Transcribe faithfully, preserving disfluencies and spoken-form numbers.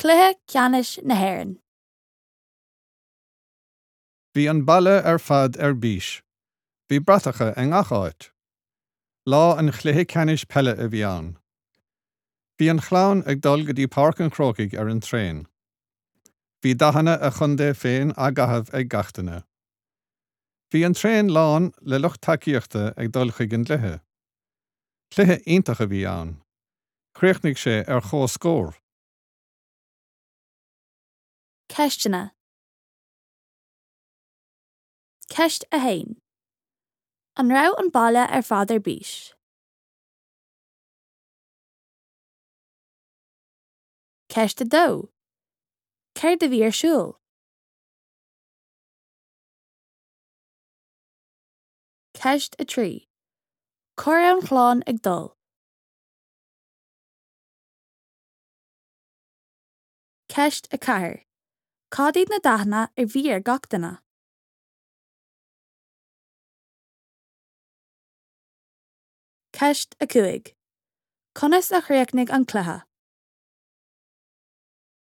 Cluiche Ceannais na hÉireann. Bhí an baile ar fad ar bís. Bhí bratacha i ngach áit. Lá an chluiche ceannais peile a bhí ann. Bhí an chlann ag dul go dtí Páirc an Chrócaigh ar an traein. Bhí dathanna a chontae féin á gcaitheamh ag gach duine. Bhí an traein lán le lucht tacaíochta ag dul chuig an gcluiche. Cluiche iontach a bhí ann. Chríochnaigh sé ar chomhscór. Ceisteanna. Ceist a haon. An raibh an baile ar fad ar bís? Ceist a dó. Céard a bhí ar siúl? Ceist a trí. Cá raibh an chlann ag dul? Ceist a ceathair. Cad iad na dathanna a bhí ar gach duine? Ceist a cúig. Conas a chríochnaigh an cluiche?